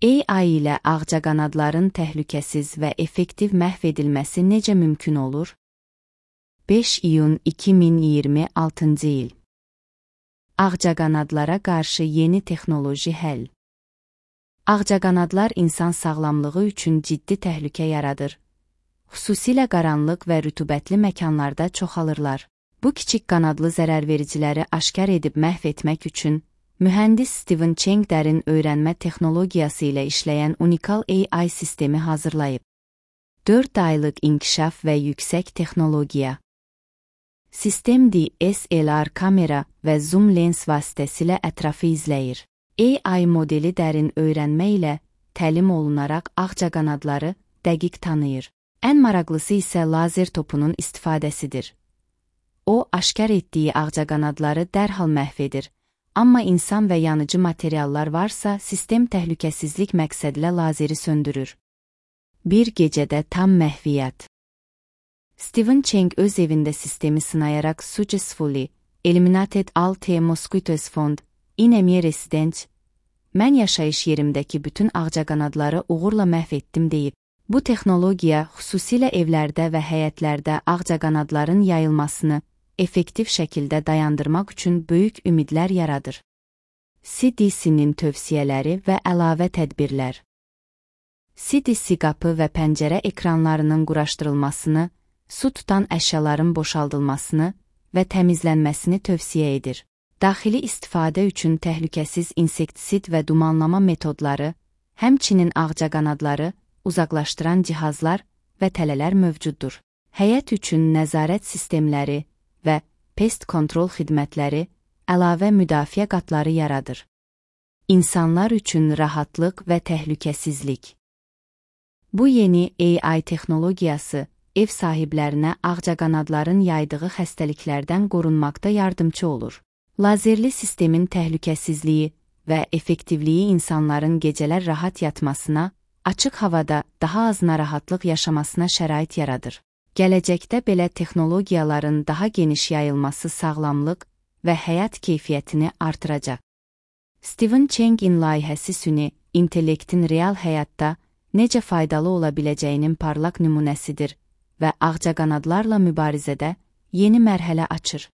AI ilə ağcaqanadların təhlükəsiz və effektiv məhv edilməsi necə mümkün olur? 5 iyun 2026-cı il. Ağcaqanadlara qarşı yeni texnoloji həll. Ağcaqanadlar insan sağlamlığı üçün ciddi təhlükə yaradır. Xüsusilə qaranlıq və rütubətli məkanlarda çoxalırlar. Bu kiçik qanadlı zərərvericiləri aşkar edib məhv etmək üçün mühəndis Steven Cheng dərin öyrənmə texnologiyası ilə işləyən unikal AI sistemi hazırlayıb. 4 aylıq inkişaf və yüksək texnologiya. Sistem DSLR kamera və zoom lens vasitəsilə ətrafı izləyir. AI modeli dərin öyrənmə ilə təlim olunaraq ağcaqanadları dəqiq tanıyır. Ən maraqlısı isə lazer topunun istifadəsidir. O, aşkar etdiyi ağcaqanadları dərhal məhv edir. Amma insan və yanıcı materiallar varsa, sistem təhlükəsizlik məqsədilə lazeri söndürür. Bir gecədə tam məhviyyət. Steven Cheng öz evində sistemi sınayaraq successfully eliminated all the mosquitoes found in a residence. Mən yaşayış yerimdəki bütün ağcaqanadları uğurla məhv etdim deyib. Bu texnologiya xüsusilə evlərdə və həyətlərdə ağcaqanadların yayılmasını effektiv şəkildə dayandırmaq üçün böyük ümidlər yaradır. CDC-nin tövsiyələri və əlavə tədbirlər. CDC qapı və pəncərə ekranlarının quraşdırılmasını, su tutan əşyaların boşaldılmasını və təmizlənməsini tövsiyə edir. Daxili istifadə üçün təhlükəsiz insektisid və dumanlama metodları, həmçinin ağcaqanadları uzaqlaşdıran cihazlar və tələlər mövcuddur. Həyət üçün nəzarət sistemləri və pest kontrol xidmətləri əlavə müdafiə qatları yaradır. İnsanlar üçün rahatlıq və təhlükəsizlik. Bu yeni AI texnologiyası ev sahiblərinə ağcaqanadların yaydığı xəstəliklərdən qorunmaqda yardımcı olur. Lazerli sistemin təhlükəsizliyi və effektivliyi insanların gecələr rahat yatmasına, açıq havada daha az narahatlıq yaşamasına şərait yaradır. Gələcəkdə belə texnologiyaların daha geniş yayılması sağlamlıq və həyat keyfiyyətini artıracaq. Steven Cheng'in layihəsi süni intellektin real həyatda necə faydalı ola biləcəyinin parlaq nümunəsidir və ağcaqanadlarla mübarizədə yeni mərhələ açır.